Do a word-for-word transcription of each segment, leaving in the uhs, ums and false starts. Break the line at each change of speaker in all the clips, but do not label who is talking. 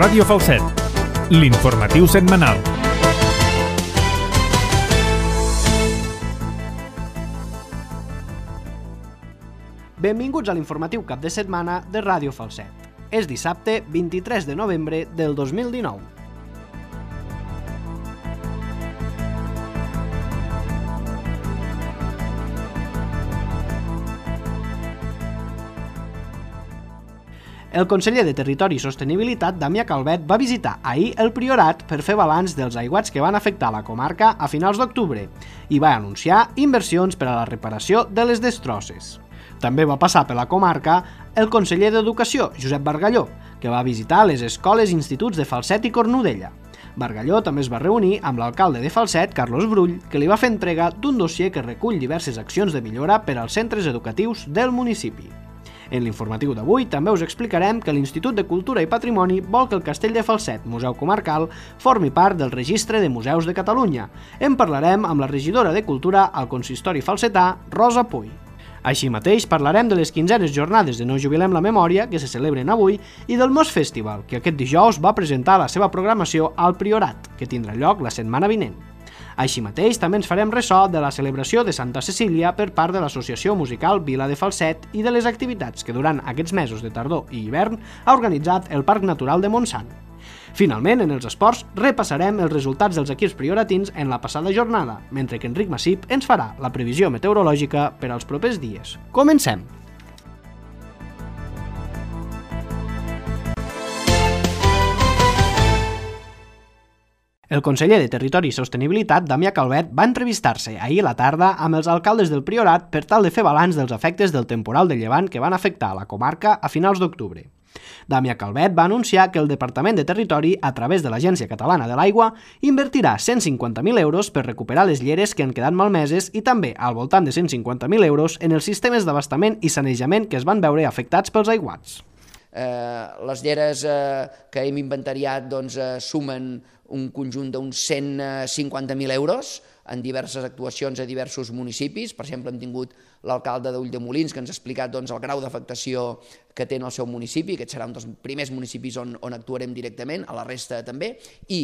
Ràdio Falset, l'informatiu setmanal.
Benvinguts a l'informatiu cap de setmana de Ràdio Falset. És dissabte vint-i-tres de novembre del dos mil dinou. El conseller de Territori i Sostenibilitat, Damià Calvet, va visitar ahir el Priorat per fer balanç dels aiguats que van afectar la comarca a finals d'octubre i va anunciar inversions per a la reparació de les destrosses. També va passar per la comarca el conseller d'Educació, Josep Bargalló, que va visitar les escoles i instituts de Falset i Cornudella. Bargalló també es va reunir amb l'alcalde de Falset, Carlos Brull, que li va fer entrega d'un dossier que recull diverses accions de millora per als centres educatius del municipi. En l'informatiu d'avui també us explicarem que l'Institut de Cultura i Patrimoni vol que el Castell de Falset, museu comarcal, formi part del Registre de Museus de Catalunya. En parlarem amb la regidora de Cultura al consistori falsetà, Rosa Puy. Així mateix parlarem de les quinzenes jornades de No Jubilem la Memòria, que se celebren avui, i del Mos Festival, que aquest dijous va presentar la seva programació al Priorat, que tindrà lloc la setmana vinent. Així mateix, també ens farem ressò de la celebració de Santa Cecília per part de l'Associació Musical Vila de Falset i de les activitats que durant aquests mesos de tardor i hivern ha organitzat el Parc Natural de Montsant. Finalment, en els esports, repassarem els resultats dels equips prioratins en la passada jornada, mentre que Enric Massip ens farà la previsió meteorològica per als propers dies. Comencem! El conseller de Territori i Sostenibilitat, Damià Calvet, va entrevistar-se ahir a la tarda amb els alcaldes del Priorat per tal de fer balanç dels efectes del temporal de llevant que van afectar la comarca a finals d'octubre. Damià Calvet va anunciar que el Departament de Territori, a través de l'Agència Catalana de l'Aigua, invertirà cent cinquanta mil euros per recuperar les lleres que han quedat malmeses i també al voltant de cent cinquanta mil euros en els sistemes d'abastament i sanejament que es van veure afectats pels aiguats.
Eh, les lleres eh, que hem inventariat doncs, eh, sumen un conjunt d'uns cent cinquanta mil euros en diverses actuacions a diversos municipis. Per exemple, hem tingut l'alcalde d'Ulldemolins que ens ha explicat doncs, el grau d'afectació que té en el seu municipi. Aquest serà un dels primers municipis on, on actuarem directament, a la resta també, i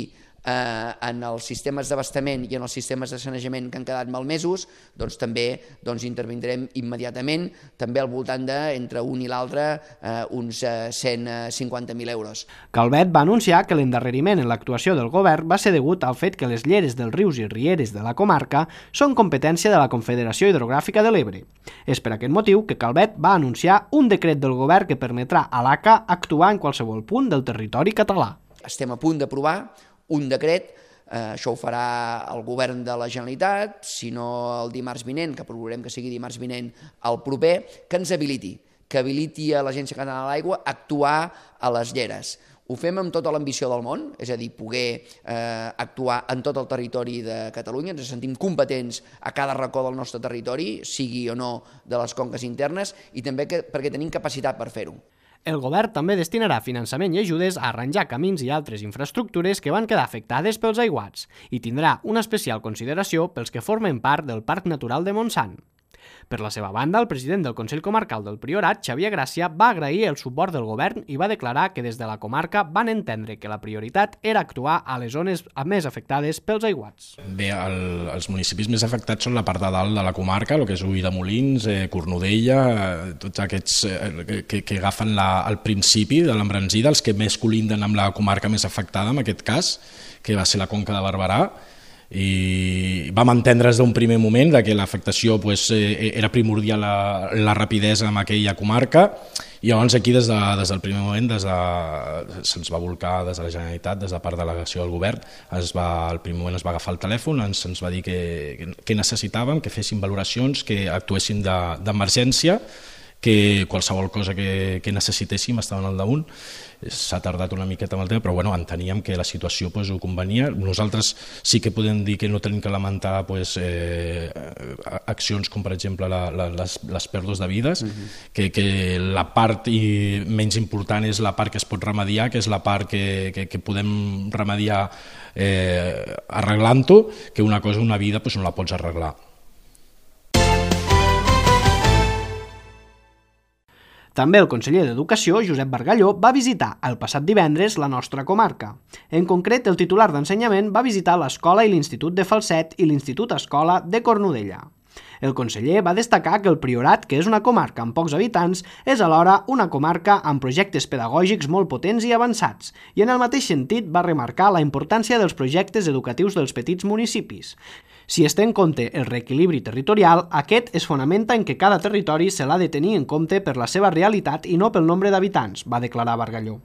eh, en els sistemes d'abastament i en els sistemes de sanejament que han quedat malmesos, doncs també doncs, intervindrem immediatament, també al voltant de, entre un i l'altre, eh, uns eh, cent cinquanta mil euros.
Calvet va anunciar que l'endarreriment en l'actuació del govern va ser degut al fet que les lleres dels rius i rieres de la comarca són competència de la Confederació Hidrogràfica de l'Ebre. És per aquest motiu que Calvet va anunciar un decret del govern que permetrà a l'A C A actuar en qualsevol punt del territori català.
Estem a punt d'aprovar un decret, eh, això ho farà el govern de la Generalitat, si no el dimarts vinent, que procurarem que sigui dimarts vinent el proper, que ens habiliti, que habiliti a l'Agència Catalana de l'Aigua a actuar a les lleres. Ho fem amb tota l'ambició del món, és a dir, poder eh, actuar en tot el territori de Catalunya, ens sentim competents a cada racó del nostre territori, sigui o no de les conques internes, i també que, perquè tenim capacitat per fer-ho.
El govern també destinarà finançament i ajudes a arranjar camins i altres infraestructures que van quedar afectades pels aiguats i tindrà una especial consideració pels que formen part del Parc Natural de Montsant. Per la seva banda, el president del Consell Comarcal del Priorat, Xavier Gràcia, va agrair el suport del govern i va declarar que des de la comarca van entendre que la prioritat era actuar a les zones més afectades pels aiguats.
Bé, el, els municipis més afectats són la part de dalt de la comarca, el que és Ulldemolins, eh, Cornudella, eh, tots aquests eh, que, que agafen la, el principi de l'embranzida, els que més colinden amb la comarca més afectada, en aquest cas, que va ser la Conca de Barberà, i vam entendre des d'un primer moment que l'afectació pues, eh, era primordial la, la rapidesa en aquella comarca i llavors aquí des, de, des del primer moment des de, se'ns va volcar des de la Generalitat, des de part de la delegació del govern, es va, al primer moment es va agafar el telèfon, ens, ens va dir que, que necessitàvem, que féssim valoracions, que actuéssim d'emergència, que qualsevol cosa que, que necessitéssim estaven al damunt. S'ha tardat una miqueta amb el tema, però bueno, enteníem que la situació pues, ho convenia. Nosaltres sí que podem dir que no tenim que lamentar pues, eh, accions com per exemple la, la, les, les pèrdues de vides, uh-huh. que, que la part i menys important és la part que es pot remediar, que és la part que, que, que podem remediar eh, arreglant-ho, que una cosa, una vida, pues, no la pots arreglar.
També el conseller d'Educació, Josep Bargalló, va visitar el passat divendres la nostra comarca. En concret, el titular d'Ensenyament va visitar l'escola i l'Institut de Falset i l'Institut Escola de Cornudella. El conseller va destacar que el Priorat, que és una comarca amb pocs habitants, és alhora una comarca amb projectes pedagògics molt potents i avançats, i en el mateix sentit va remarcar la importància dels projectes educatius dels petits municipis. Si es té en compte el reequilibri territorial, aquest es fonamenta en que cada territori se l'ha de tenir en compte per la seva realitat i no pel nombre d'habitants, va declarar Bargalló.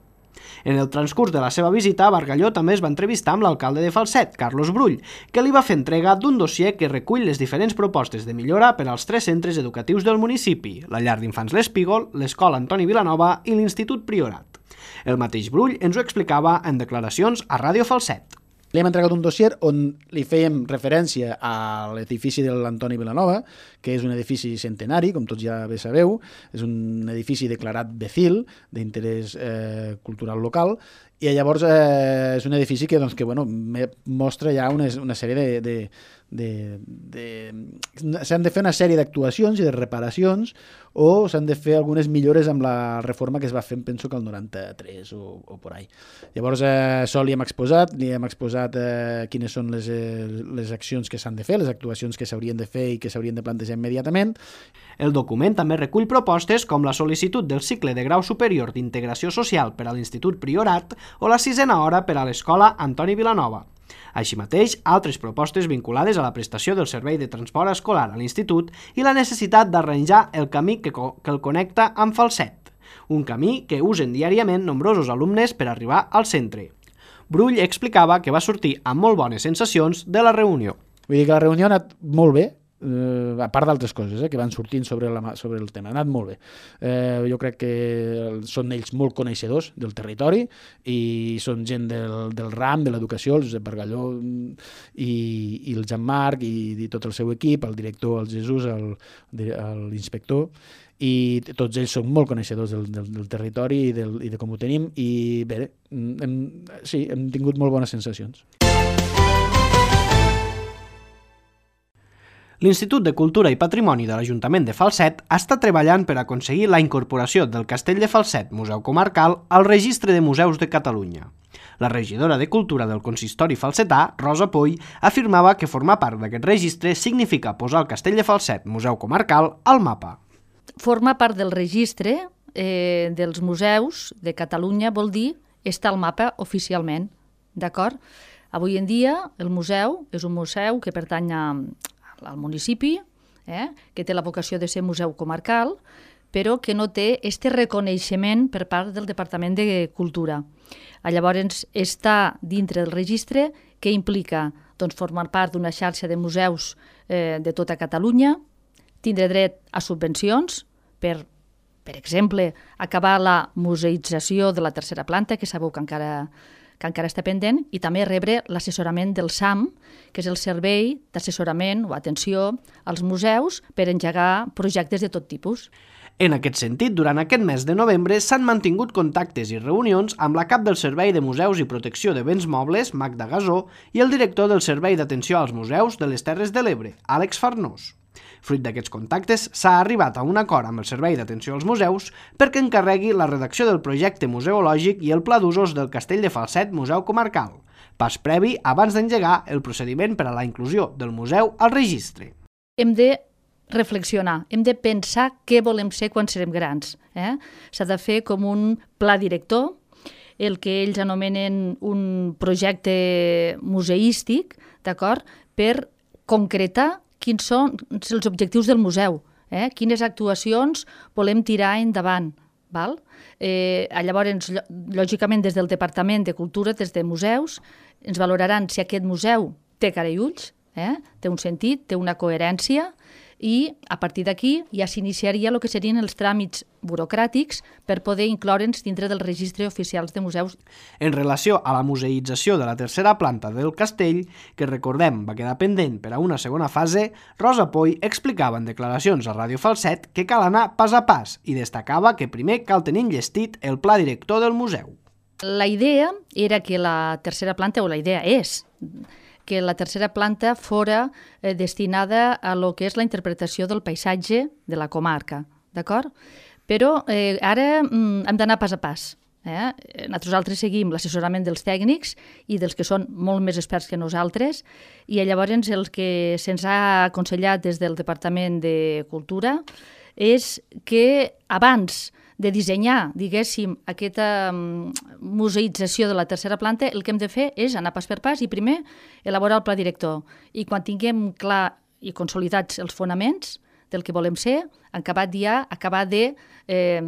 En el transcurs de la seva visita, Bargalló també es va entrevistar amb l'alcalde de Falset, Carlos Brull, que li va fer entrega d'un dossier que recull les diferents propostes de millora per als tres centres educatius del municipi, la llar d'infants L'Espígol, l'escola Antoni Vilanova i l'Institut Priorat. El mateix Brull ens ho explicava en declaracions a Ràdio Falset.
Li hem entregat un dossier on li fèiem referència a l'edifici de l'Antoni Vilanova, que és un edifici centenari, com tots ja bé sabeu, és un edifici declarat B C I L, d'interès eh, cultural local, i llavors eh, és un edifici que, doncs, que bueno, mostra ja una, una sèrie de... de De, de, s'han de fer una sèrie d'actuacions i de reparacions o s'han de fer algunes millores amb la reforma que es va fer, penso que el noranta-tres o, o por ahí. Llavors, eh, això li hem exposat, li hem exposat eh, quines són les, eh, les accions que s'han de fer, les actuacions que s'haurien de fer i que s'haurien de plantejar immediatament.
El document també recull propostes com la sol·licitud del cicle de grau superior d'integració social per a l'Institut Priorat o la sisena hora per a l'escola Antoni Vilanova. Així mateix, altres propostes vinculades a la prestació del servei de transport escolar a l'institut i la necessitat d'arranjar el camí que, que el connecta amb Falset, un camí que usen diàriament nombrosos alumnes per arribar al centre. Brull explicava que va sortir amb molt bones sensacions de la reunió.
Vull dir que la reunió ha anat molt bé, eh, a part d'altres coses eh, que van sortint sobre, la, sobre el tema. Ha anat molt bé. Eh, jo crec que són ells molt coneixedors del territori i són gent del, del ram, de l'educació, el Josep Bargalló i, i el Jean-Marc i, i tot el seu equip, el director, el Jesús, l'inspector, i tots ells són molt coneixedors del, del, del territori i, del, i de com ho tenim i bé, hem, sí, hem tingut molt bones sensacions.
L'Institut de Cultura i Patrimoni de l'Ajuntament de Falset està treballant per aconseguir la incorporació del Castell de Falset, Museu Comarcal, al Registre de Museus de Catalunya. La regidora de Cultura del Consistori falsetà, Rosa Poll, afirmava que formar part d'aquest registre significa posar el Castell de Falset, Museu Comarcal, al mapa.
Formar part del registre eh, dels museus de Catalunya vol dir estar al mapa oficialment, d'acord? Avui en dia el museu és un museu que pertany a al municipi, eh, que té la vocació de ser museu comarcal, però que no té este reconeixement per part del Departament de Cultura. Llavors, està dintre del registre que implica doncs, formar part d'una xarxa de museus eh, de tota Catalunya, tindre dret a subvencions per, per exemple, acabar la museïtzació de la tercera planta, que sabeu que encara que encara està pendent, i també rebre l'assessorament del S A M, que és el servei d'assessorament o atenció als museus per engegar projectes de tot tipus.
En aquest sentit, durant aquest mes de novembre s'han mantingut contactes i reunions amb la cap del Servei de Museus i Protecció de Béns Mobles, Magda Gasó, i el director del Servei d'Atenció als Museus de les Terres de l'Ebre, Àlex Farnós. Fruit d'aquests contactes, s'ha arribat a un acord amb el Servei d'Atenció als Museus perquè encarregui la redacció del projecte museològic i el pla d'usos del Castell de Falset Museu Comarcal, pas previ abans d'engegar el procediment per a la inclusió del museu al registre.
Hem de reflexionar, hem de pensar què volem ser quan serem grans. Eh? S'ha de fer com un pla director, el que ells anomenen un projecte museístic, d'acord, per concretar quins són els objectius del museu, eh? Quines actuacions volem tirar endavant. Val? Eh, llavors, lògicament, des del Departament de Cultura, des de museus, ens valoraran si aquest museu té cara i ulls, eh? Té un sentit, té una coherència, i a partir d'aquí ja s'iniciaria el que serien els tràmits burocràtics per poder incloure'ns dintre del registre oficials de museus.
En relació a la museïtzació de la tercera planta del castell, que recordem va quedar pendent per a una segona fase, Rosa Poll explicava en declaracions a Ràdio Falset que cal anar pas a pas i destacava que primer cal tenir enllestit el pla director del museu.
La idea era que la tercera planta, o la idea és, que la tercera planta fora eh, destinada a lo que és la interpretació del paisatge de la comarca, d'acord? Però eh, ara mm, hem d'anar pas a pas. Eh? Nosaltres seguim l'assessorament dels tècnics i dels que són molt més experts que nosaltres, i llavors el que se'ns ha aconsellat des del Departament de Cultura és que abans de dissenyar, diguéssim, aquesta museïtzació de la tercera planta, el que hem de fer és anar pas per pas i primer elaborar el pla director. I quan tinguem clar i consolidats els fonaments del que volem ser, acabat ja acabar de eh,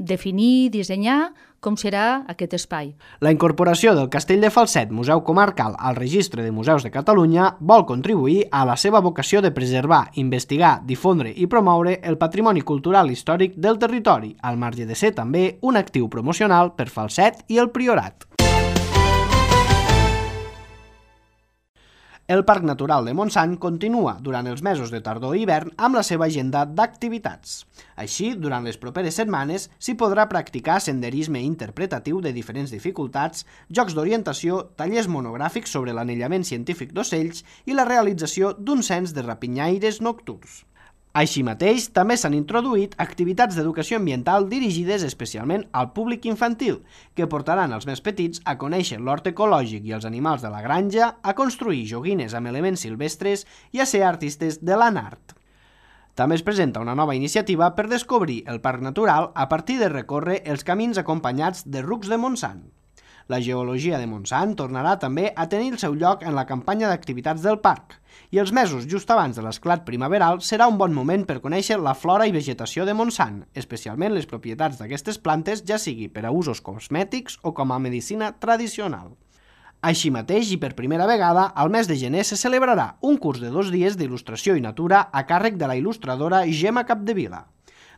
definir, dissenyar com serà aquest espai.
La incorporació del Castell de Falset, Museu Comarcal, al Registre de Museus de Catalunya vol contribuir a la seva vocació de preservar, investigar, difondre i promoure el patrimoni cultural històric del territori, al marge de ser també un actiu promocional per Falset i el Priorat. El Parc Natural de Montsant continua durant els mesos de tardor i hivern amb la seva agenda d'activitats. Així, durant les properes setmanes s'hi podrà practicar senderisme interpretatiu de diferents dificultats, jocs d'orientació, tallers monogràfics sobre l'anellament científic d'ocells i la realització d'un cens de rapinyaires nocturns. Així mateix, també s'han introduït activitats d'educació ambiental dirigides especialment al públic infantil, que portaran els més petits a conèixer l'hort ecològic i els animals de la granja, a construir joguines amb elements silvestres i a ser artistes de l'anart. També es presenta una nova iniciativa per descobrir el parc natural a partir de recórrer els camins acompanyats de rucs de Montsant. La geologia de Montsant tornarà també a tenir el seu lloc en la campanya d'activitats del parc, i els mesos just abans de l'esclat primaveral serà un bon moment per conèixer la flora i vegetació de Montsant, especialment les propietats d'aquestes plantes, ja sigui per a usos cosmètics o com a medicina tradicional. Així mateix, i per primera vegada, al mes de gener se celebrarà un curs de dos dies d'il·lustració i natura a càrrec de la il·lustradora Gemma Capdevila.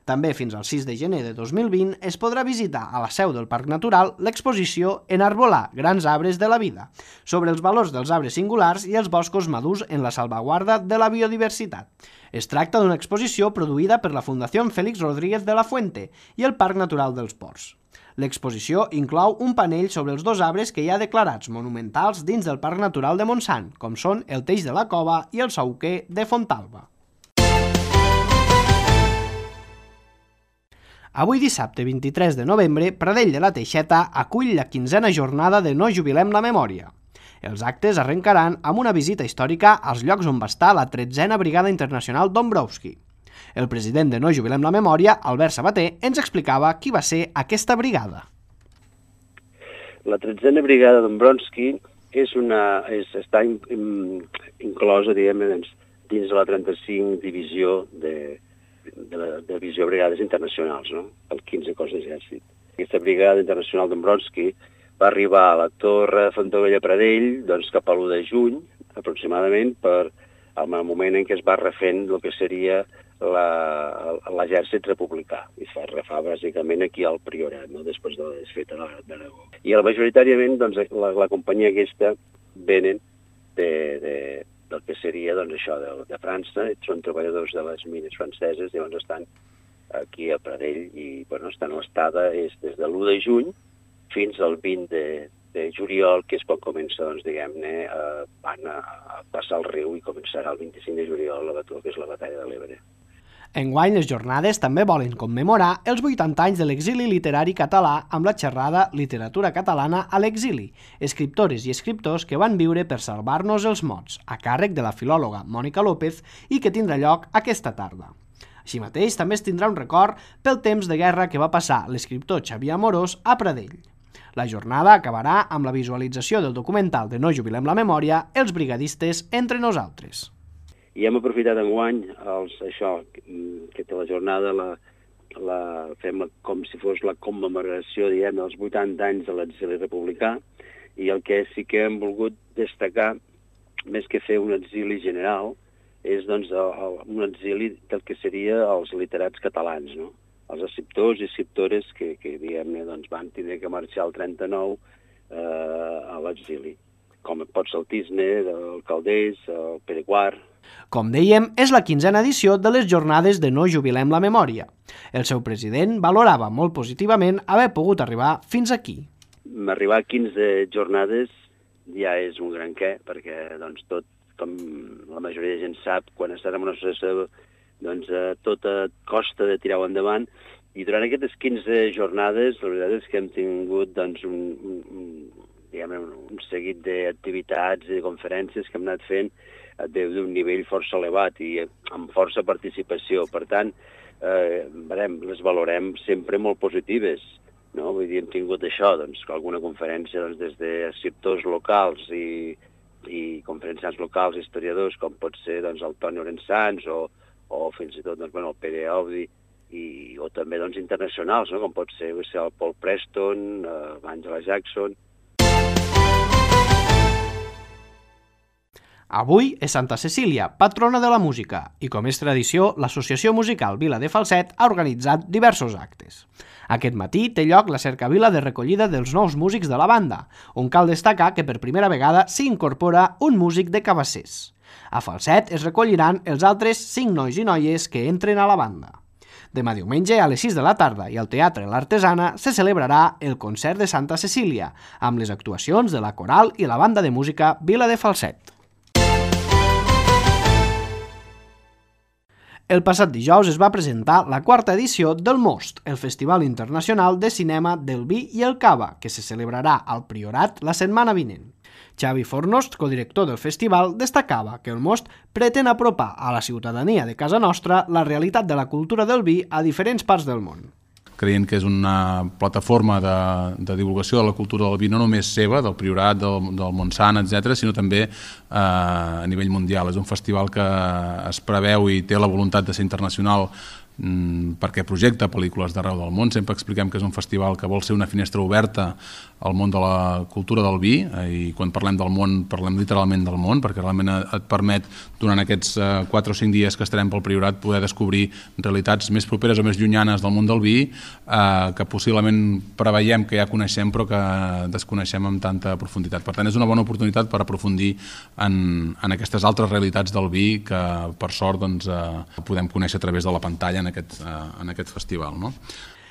També fins al sis de gener de dos mil vint es podrà visitar a la seu del Parc Natural l'exposició Enarbolar grans arbres de la vida, sobre els valors dels arbres singulars i els boscos madurs en la salvaguarda de la biodiversitat. Es tracta d'una exposició produïda per la Fundació Félix Rodríguez de la Fuente i el Parc Natural dels Ports. L'exposició inclou un panell sobre els dos arbres que hi ha declarats monumentals dins del Parc Natural de Montsant, com són el Teix de la Cova i el Sauquer de Fontalba. Avui dissabte vint-i-tres de novembre, Pradell de la Teixeta acull la quinzena jornada de No Jubilem la Memòria. Els actes arrencaran amb una visita històrica als llocs on va estar la tretzena Brigada Internacional Dombrowski. El president de No Jubilem la Memòria, Albert Sabater, ens explicava qui va ser aquesta brigada.
La tretzena Brigada Dombrowski és una, és, està in, in, inclosa, diguem, dins de la trenta-cinc divisió de de la divisió de brigades internacionals, no? El quinze cos d'exèrcit. Aquesta brigada internacional Dombrowski va arribar a la Torre Fontavella Pradell doncs, cap a l'u de juny, aproximadament, per al moment en què es va refent el que seria l'exèrcit republicà. I es va refar bàsicament aquí al Priorat, no? Després de la desfeta d'Aragó. I majoritàriament doncs, la, la companyia aquesta venen de, de del que seria doncs, això de, de França, són treballadors de les mines franceses, llavors estan aquí a Pradell i bueno, estan a l'estada és des de l'u de juny fins al vint de, de juliol, que és quan comença, doncs, diguem-ne, eh, van a, a passar el riu i començarà el vint-i-cinc de juliol la, que és la batalla de l'Ebre.
Enguany, les jornades també volen commemorar els vuitanta anys de l'exili literari català amb la xerrada Literatura catalana a l'exili, escriptores i escriptors que van viure per salvar-nos els mots, a càrrec de la filòloga Mònica López i que tindrà lloc aquesta tarda. Així mateix, també es tindrà un record pel temps de guerra que va passar l'escriptor Xavier Amorós a Pradell. La jornada acabarà amb la visualització del documental de No Jubilem la Memòria, Els brigadistes entre nosaltres.
I hem aprofitat enguany els, això, que té la jornada, la, la, fem com si fos la commemoració, diguem, dels vuitanta anys de l'exili republicà, i el que sí que hem volgut destacar, més que fer un exili general, és doncs, el, un exili del que seria els literats catalans, no? Els escriptors i escriptores que, que diguem-ne, doncs, van tindre que marxar el trenta-nou eh, a l'exili, com pot ser el Tisne, el Calders, el Pere quart.
Com dèiem, és la quinzena edició de les jornades de No Jubilem la Memòria. El seu president valorava molt positivament haver pogut arribar fins aquí.
Arribar a quinze jornades ja és un gran què, perquè doncs, tot, com la majoria de gent sap, quan estem en una associació, doncs, eh, tot costa de tirar-ho endavant, I durant aquestes quinze jornades, la veritat és que hem tingut doncs, un, un, diguem, un seguit d'activitats i de conferències que hem anat fent d'un nivell força elevat i amb força participació. Per tant, eh, veurem, les valorem sempre molt positives. No? Vull dir, hem tingut això, doncs, alguna conferència doncs, des de escriptors locals i, i conferenciants locals, historiadors, com pot ser doncs, el Toni Orensans o, o fins i tot doncs, bueno, el Pere Audi, i, o també doncs, internacionals, no? Com pot ser el Paul Preston, eh, Angela Jackson.
Avui és Santa Cecília, patrona de la música, i com és tradició, l'Associació Musical Vila de Falset ha organitzat diversos actes. Aquest matí té lloc la cercavila de recollida dels nous músics de la banda, on cal destacar que per primera vegada s'hi incorpora un músic de Cabassers. A Falset es recolliran els altres cinc nois i noies que entren a la banda. Demà diumenge a les sis de la tarda i al Teatre L'Artesana se celebrarà el concert de Santa Cecília, amb les actuacions de la coral i la banda de música Vila de Falset. El passat dijous es va presentar la quarta edició del Most, el Festival Internacional de Cinema del Vi i el Cava, que se celebrarà al Priorat la setmana vinent. Xavi Fornos, codirector del festival, destacava que el Most pretén apropar a la ciutadania de casa nostra la realitat de la cultura del vi a diferents parts del món.
Creient que és una plataforma de, de divulgació de la cultura del vi, no només seva, del Priorat, del, del Montsant, etcètera, sinó també eh, a nivell mundial. És un festival que es preveu i té la voluntat de ser internacional mm, perquè projecta pel·lícules d'arreu del món. Sempre expliquem que és un festival que vol ser una finestra oberta al món de la cultura del vi, eh, i quan parlem del món, parlem literalment del món, perquè realment et permet, durant aquests eh, quatre o cinc dies que estarem pel Priorat, poder descobrir realitats més properes o més llunyanes del món del vi, eh, que possiblement preveiem que ja coneixem, però que desconeixem amb tanta profunditat. Per tant, és una bona oportunitat per aprofundir en, en aquestes altres realitats del vi que, per sort, doncs, eh, podem conèixer a través de la pantalla en aquest, eh, en aquest festival, no?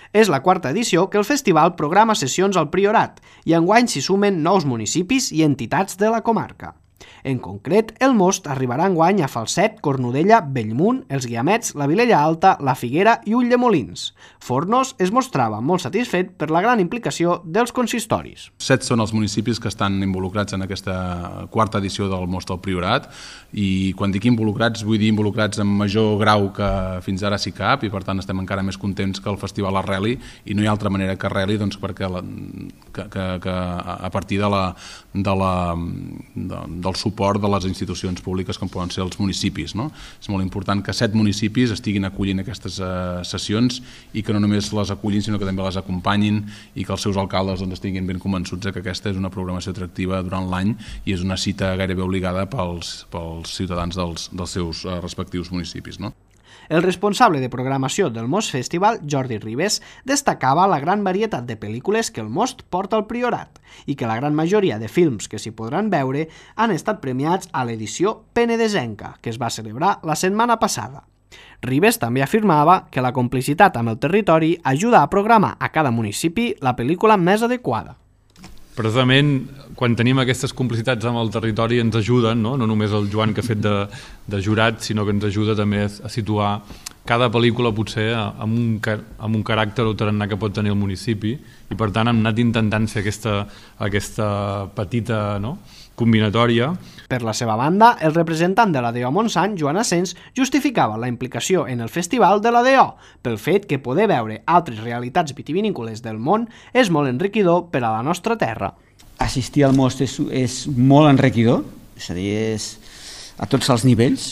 És la quarta edició que el festival programa sessions al Priorat i enguany s'hi sumen nous municipis i entitats de la comarca. En concret, el Most arribarà enguany a Falset, Cornudella, Bellmunt, els Guiamets, la Vilella Alta, la Figuera i Ulldemolins. Fornos es mostrava molt satisfet per la gran implicació dels consistoris.
Set són els municipis que estan involucrats en aquesta quarta edició del Most al Priorat, i quan dic involucrats vull dir involucrats en major grau que fins ara sí cap, i per tant estem encara més contents que el festival arreli, i no hi ha altra manera que arreli doncs, perquè la, que, que, que a partir de la, de la, de, del suport de les institucions públiques com poden ser els municipis, no? És molt important que set municipis estiguin acollint aquestes uh, sessions i que no només les acullin sinó que també les acompanyin, i que els seus alcaldes doncs, estiguin ben convençuts que aquesta és una programació atractiva durant l'any i és una cita gairebé obligada pels, pels ciutadans dels, dels seus uh, respectius municipis, no?
El responsable de programació del Most Festival, Jordi Ribes, destacava la gran varietat de pel·lícules que el Most porta al Priorat i que la gran majoria de films que s'hi podran veure han estat premiats a l'edició penedesenca, que es va celebrar la setmana passada. Ribes també afirmava que la complicitat amb el territori ajuda a programar a cada municipi la pel·lícula més adequada.
Precisament, quan tenim aquestes complicitats amb el territori ens ajuden, no, no només el Joan que ha fet de, de jurat, sinó que ens ajuda també a situar cada pel·lícula potser amb un, amb un caràcter o tarannà que pot tenir el municipi, i per tant hem anat intentant fer aquesta, aquesta petita, no, combinatòria.
Per la seva banda, el representant de l'A D O Montsant, Joan Asens, justificava la implicació en el festival de l'A D O pel fet que poder veure altres realitats vitivinícoles del món és molt enriquidor per a la nostra terra.
Assistir al Most és, és molt enriquidor, és a dir, és a tots els nivells,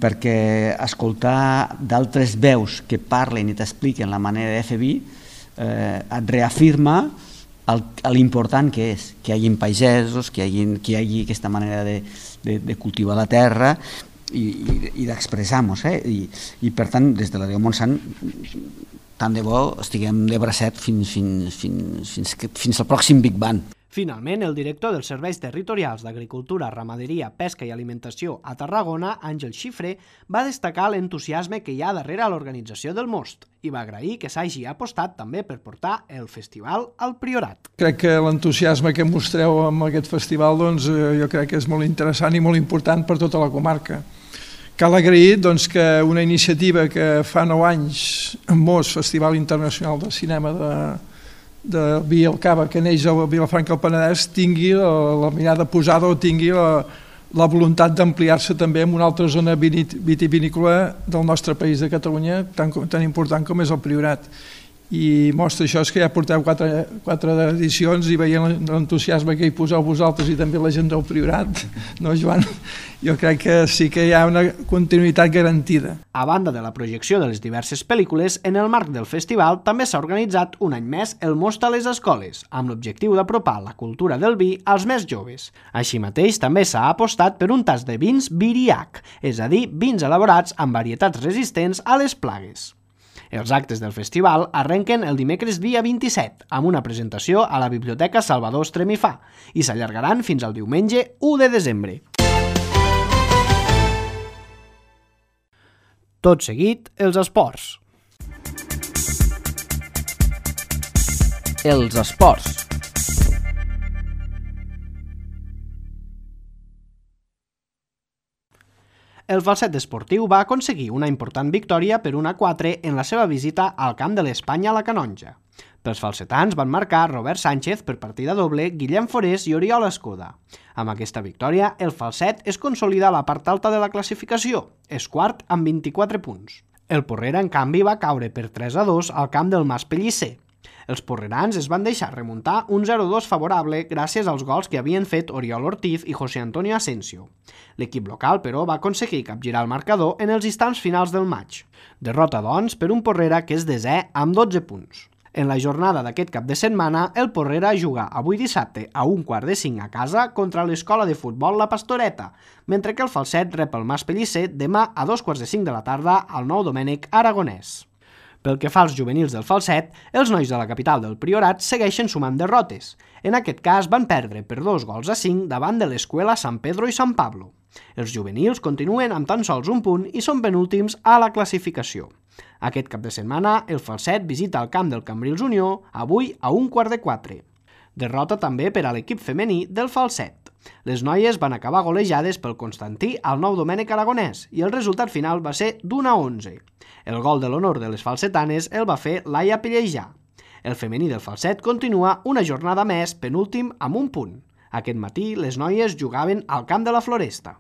perquè escoltar d'altres veus que parlen i t'expliquen la manera de fer vi eh, et reafirma l'important que és que hi hagi pagesos, que hi hagi, que hi hagi aquesta manera de, de, de cultivar la terra i, i, i d'expressar-nos, eh? I, i per tant des de l'A D O Montsant tant de bo estiguem de bracet fins, fins, fins, fins, fins al pròxim Big Bang.
Finalment, el director dels Serveis Territorials d'Agricultura, Ramaderia, Pesca i Alimentació a Tarragona, Àngel Xifré, va destacar l'entusiasme que hi ha darrere l'organització del Most i va agrair que s'hagi apostat també per portar el festival al Priorat.
Crec que l'entusiasme que mostreu amb aquest festival doncs, jo crec que és molt interessant i molt important per tota la comarca. cal agrair doncs, que una iniciativa que fa nou anys en Mos, Festival Internacional de Cinema de, de Vilcaba, que neix a Vilafranca del Penedès, tingui la, la mirada posada o tingui la, la voluntat d'ampliar-se també en una altra zona vitivinícola del nostre país de Catalunya, tan, tan important com és el Priorat. I mostra això és que ja porteu quatre, quatre edicions i veient l'entusiasme que hi poseu vosaltres i també la gent del Priorat, no, Joan? Jo crec que sí que hi ha una continuïtat garantida.
A banda de la projecció de les diverses pel·lícules, en el marc del festival també s'ha organitzat un any més el Most a les escoles, amb l'objectiu d'apropar la cultura del vi als més joves. Així mateix, també s'ha apostat per un tas de vins Viriac, és a dir, vins elaborats amb varietats resistents a les plagues. Els actes del festival arrenquen el dimecres dia vint-i-set amb una presentació a la Biblioteca Salvador Estremifà i s'allargaran fins al diumenge u de desembre. Tot seguit, els esports.
Els esports.
El Falset esportiu va aconseguir una important victòria per un a quatre en la seva visita al camp de l'Espanya a la Canonja. Pels falsetans van marcar Robert Sánchez per partida doble, Guillem Forés i Oriol Escoda. Amb aquesta victòria, el Falset es consolida a la part alta de la classificació, és quart amb vint-i-quatre punts. El Porrera, en canvi, va caure per tres a dos al camp del Mas Pellicer. Els porrerans es van deixar remuntar un zero dos favorable gràcies als gols que havien fet Oriol Ortiz i José Antonio Asensio. L'equip local, però, va aconseguir capgirar el marcador en els instants finals del maig. Derrota, doncs, per un Porrera que és desè amb dotze punts. En la jornada d'aquest cap de setmana, el Porrera juga avui dissabte a un quart de cinc a casa contra l'escola de futbol La Pastoreta, mentre que el Falset rep el Mas Pellicer demà a dos quarts de cinc de la tarda al Nou Domènec Aragonès. Pel que fa als juvenils del Falset, els nois de la capital del Priorat segueixen sumant derrotes. En aquest cas van perdre per dos gols a cinc davant de l'Escuela San Pedro i San Pablo. Els juvenils continuen amb tan sols un punt i són penúltims a la classificació. Aquest cap de setmana, el Falset visita el camp del Cambrils Unió, avui a un quart de quatre. Derrota també per a l'equip femení del Falset. Les noies van acabar golejades pel Constantí al Nou Domènec Aragonès i el resultat final va ser d'un a onze. El gol de l'honor de les falsetanes el va fer Laia Pellejà. El femení del Falset continua una jornada més penúltim amb un punt. Aquest matí les noies jugaven al camp de la Floresta.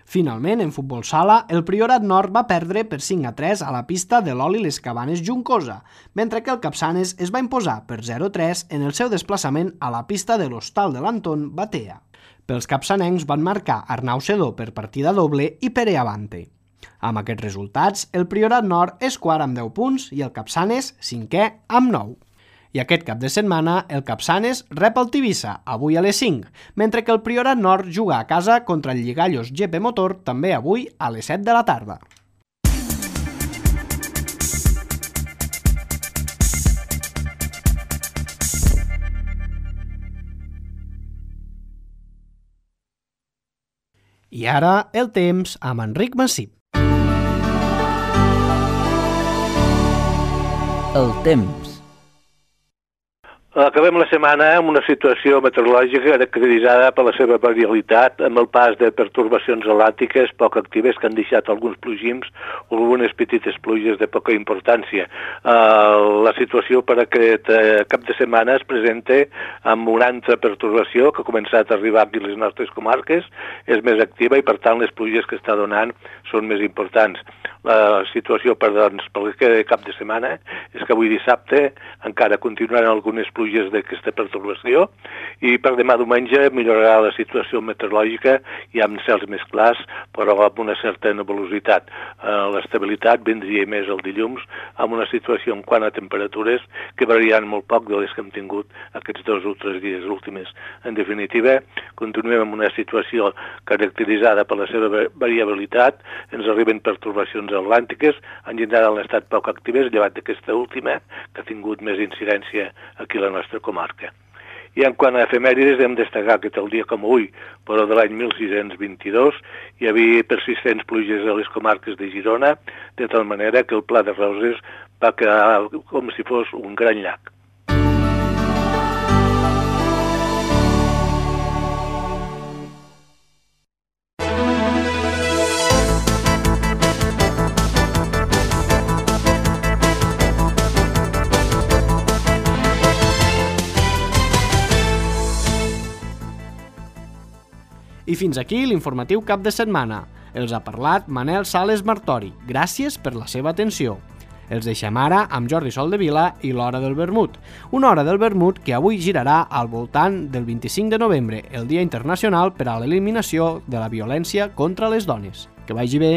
Finalment, en futbol sala, el Priorat Nord va perdre per cinc a tres a la pista de l'Oli Les Cabanes Juncosa, mentre que el Capçanes es va imposar per zero a tres en el seu desplaçament a la pista de l'Hostal de l'Anton Batea. Pels capçanencs van marcar Arnau Sedó per partida doble i Pere Avante. Amb aquests resultats, el Priorat Nord és quart amb deu punts i el Capçanes cinquè amb nou. I aquest cap de setmana, el Capçanes rep el Tivissa, avui a les cinc, mentre que el Priorat Nord juga a casa contra el Lligallos G P Motor, també avui a les set de la tarda. I ara, el temps amb Enric Massip.
El temps.
Acabem la setmana amb una situació meteorològica caracteritzada per la seva variabilitat, amb el pas de pertorbacions atlàntiques poc actives que han deixat alguns plogims o algunes petites pluges de poca importància. Uh, la situació per aquest uh, cap de setmana es presenta amb una altra pertorbació que ha començat a arribar aquí a les nostres comarques, és més activa i per tant les pluges que està donant són més importants. La situació per, doncs, per aquest cap de setmana és que avui dissabte encara continuaran algunes pluges d'aquesta pertorbació i per demà diumenge millorarà la situació meteorològica i amb cels més clars però amb una certa nebulositat. Uh, L'estabilitat vindria més el dilluns amb una situació en quant a temperatures que variaran molt poc de les que hem tingut aquests dos o tres dies últims. En definitiva, continuem amb una situació caracteritzada per la seva variabilitat, ens arriben pertorbacions atlàntiques, en general han estat poc actives, llevat d'aquesta última, que ha tingut més incidència aquí a la nostra comarca. I en quant a efemèrides, hem destacat que tal dia com avui, però de l'any mil sis-cents vint-i-dos, hi havia persistents pluges a les comarques de Girona, de tal manera que el Pla de Roses va quedar com si fos un gran llac.
I fins aquí l'informatiu cap de setmana. Els ha parlat Manel Sales Martori. Gràcies per la seva atenció. Els deixem ara amb Jordi Soldevila i l'Hora del Vermut. Una hora del vermut que avui girarà al voltant del vint-i-cinc de novembre, el Dia Internacional per a l'Eliminació de la Violència contra les Dones. Que vagi bé!